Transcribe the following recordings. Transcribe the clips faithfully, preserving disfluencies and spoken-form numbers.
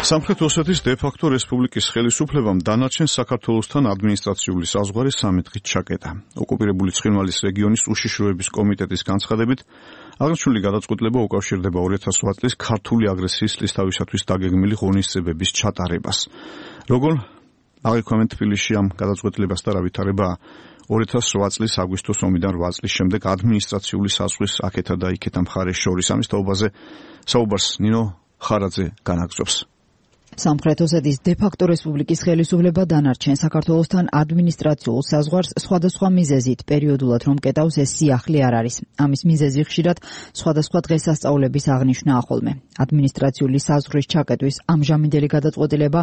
სამხრეთ ოსეთის დე-ფაქტო რესპუბლიკის ხელისუფლებამ დანარჩენ საქართველოსთან ადმინისტრაციული საზღვარი სამი დღით ჩაკეტა. ოკუპირებული ცხინვალის რეგიონის უშიშროების კომიტეტის განცხადებით, აღნიშნული გადაწყვეტილება უკავშირდება ორი ათას ოთხ წლის ქართული აგრესიის წლისთავისათვის დაგეგმილი ღონისძიებების ჩატარებას. როგორ აღიქვამენ თბილისში ამ გადაწყვეტილებას და რა ვითარებაა ორი ათას ოთხ წლის აგვისტოს ომიდან რვა წლის შემდეგ ადმინისტრაციული საზღვრის აქეთა და იქეთა მხარეს შორის. ამის თაობაზე საუბარს ნინო ხარაძე განაგრძობს. სამხრეთ ოსეთის დე-ფაქტო რესპუბლიკის ხელისუფლება დანარჩენ საქართველოსთან ადმინისტრაციულ საზღვარს სხვადასხვა მიზეზით პერიოდულად რომ კეტავს ეს სიახლე არ არის. ამის მიზეზი ხშირად სხვადასხვა დღესასწაულების აღნიშვნა ახოლმე. ადმინისტრაციული საზღვრის ჩაკეტვის ამჟამინდელი გადაწყვეტილება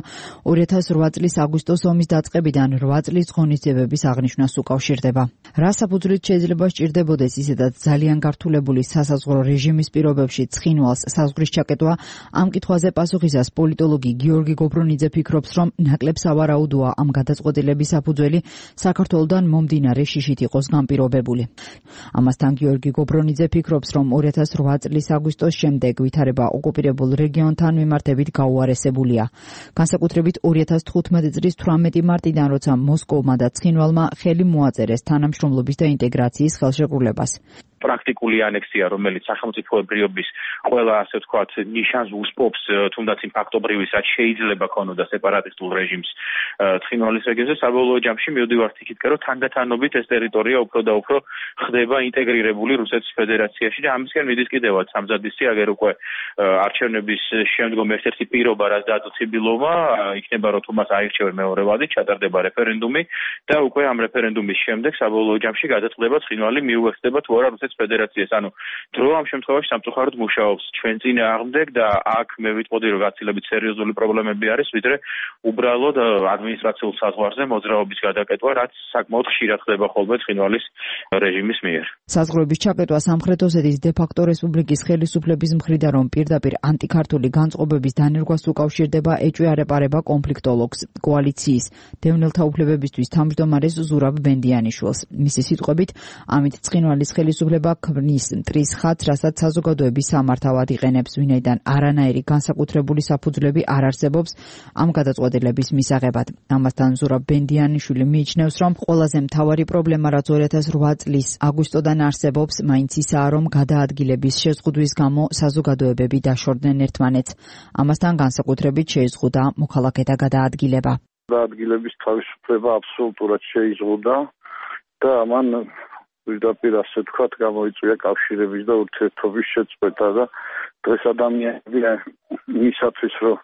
ორი ათას რვა წლის აგვისტოს ომის დაწყებიდან რვა წლის ღონისძიებების აღნიშვნას უკავშირდება. რა საფუძვლით შეიძლება სჭირდებოდეს ისედაც ძალიან გართულებული სასაზღვრო რეჟიმის პირობებში ცხინვალს საზღვრის ჩაკეტვა? ამ კითხვაზე პასუხისას პოლიტოლოგი გიორგი გობრონიძე ფიქრობს, რომ ნაკლებ სავარაუდოა ამ გადაწყვეტილების საფუძველი საქართველოდან მომდინარე შიშით იყოს განპირობებული. ამასთან გიორგი გობრონიძე ფიქრობს, რომ ორი ათას რვა წლის აგვისტოს შემდეგ ვითარება ოკუპირებულ რეგიონთან მიმართებით გაუარესებულია. განსაკუთრებით ორი ათას თხუთმეტი წლის თვრამეტი მარტიდან, როცა მოსკოვმა და ცხინვალმა ხელი მოაწერეს თანამშრომლობის და ინტეგრაციის ხელშეკრულებას. პრაქტიკული ანექსია, რომელიც სახელმწიფოებრიობის ყველა, ასე ვთქვათ, ნიშანს უსპობს, თუნდაც იმ ფაქტობრივისაც შეიძლება ქონოდა სეპარატისტულ რეჟიმს ცხინვალის რეგიონზე, საბოლოო ჯამში მივდივართ იქით, რომ თანდათანობით ეს ტერიტორია უფრო და უფრო ხდება ინტეგრირებული რუსეთის ფედერაციაში და ამისკენ მიდის კიდევაც სამზადისი, აგერ უკვე არჩევნების შემდგომ ერთ-ერთი პირობა, რაც დადო ციბილოვმა, იქნება რომ თუმას აირჩევენ მეორე ვადით, ჩატარდება რეფერენდუმი და უკვე ამ რეფერენდუმის შემდეგ საბოლოო ჯამში გადაწყდება ცხინვალი მიუერთდება თუ არა რუსეთის ფედერაციას. ანუ დრო ამ შემთხვევაში სამწუხაროდ მუშაობს ჩვენ წინააღმდეგ და აქ მე ვიტყოდი რომ გაცილებით სერიოზული პრობლემები არის, ვიდრე უბრალოდ ადმინისტრაციულ საზღვარზე მოძრაობის გადაკეტვა, რაც საკმაოდ ხშირად ხდება ხოლმე ცხინვალის რეჟიმის მიერ. საზღვრების ჩაკეტვა სამხრეთ ოსეთის დე-ფაქტო რესპუბლიკის ხელისუფლების მხრიდან რომ პირდაპირ ანტიქართული განწყობების დანერგვას უკავშირდება, ეჭვი-არ-ეპარება კონფლიქტოლოგს, კოალიციის დევნილთა უფლებებისთვის თავმჯდომარეს ზურაბ ბენდიანიშვილს. მისი სიტყვებით, ამით ცხინვალის ხელისუფლება ქმნის მტრის ხატს, რასაც საზოგადოების სამართავად იყენებს, ვინაიდან არანაირი განსაკუთრებული საფუძვლები არ არსებობს ამ გადაწყვეტილების მისაღებად. ამასთან ზურაბ ბენდიანიშვილი მიიჩნევს, რომ ყველაზე მთავარი პრობლემა, რაც ორი ათას რვა წლის აგვისტოდან არსებობს, მაინც ისაა, რომ გადაადგილების შეზღუდვის გამო საზოგადოებები დაშორდნენ ერთმანეთს. ამასთან განსაკუთრებით შეიზღუდა მოქალაქეთა გადაადგილება. გადაადგილების თავისუფლება აბსოლუტურად შეიზღუდა და ამან პირდაპირ ასე ვთქვათ გამოიწვია კავშირების და ურთიერთობის შეწყვეტა და დღეს ადამიანები იმისათვის რომ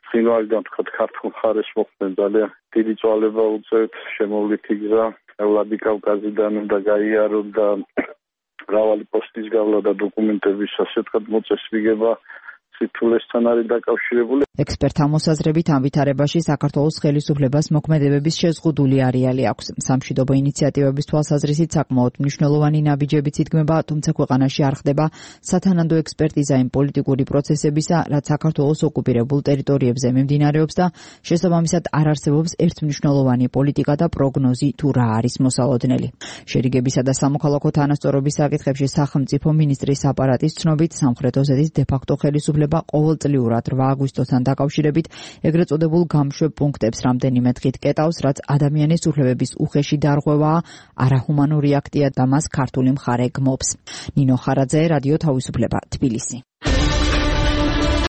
ცხინვალიდან ვთქვათ ქართულ მხარეს მოხვდნენ ძალიან დიდი წვალება უწევთ, შემოვლითი გზა ვლადიკავკაზიდან უნდა გაიარონ და მრავალი პოსტის გავლა და დოკუმენტების ასე ვთქვათ მოწესრიგება სიტულესთან არის დაკავშირებული. ექსპერტთა მოსაზრებით ამ ვითარებაში საქართველოს ხელისუფლებას მოქმედებების შეზღუდული არეალი აქვს. სამშვიდობო ინიციატივების თვალსაზრისით საკმაოდ მნიშვნელოვანი ნაბიჯებიც იდგმება, თუმცა ქვეყანაში არ ხდება სათანადო ექსპერტიზა იმ პოლიტიკური პროცესებისა, რაც საქართველოს ოკუპირებულ ტერიტორიებზე მიმდინარეობს და შესაბამისად არ არსებობს ერთმნიშვნელოვანი პოლიტიკა და პროგნოზი თუ რა არის მოსალოდნელი. შერიგებისა და სამოქალაქო თანასწორობის საკითხებში სახელმწიფო მინისტრის აპარატის ცნობით, სამხრეთ ოსეთის დე-ფაქტო ხელისუფლება ყოველწლიურად რვა აგვისტოსთან დაკავშირებით ეგრეთ წოდებულ გამშვებ პუნქტებს რამდენიმე დღით კეტავს, რაც ადამიანის უფლებების უხეში დარღვევაა, არაჰუმანური აქტია და მას ქართული მხარე გმობს. ნინო ხარაძე, რადიო თავისუფლება, თბილისი.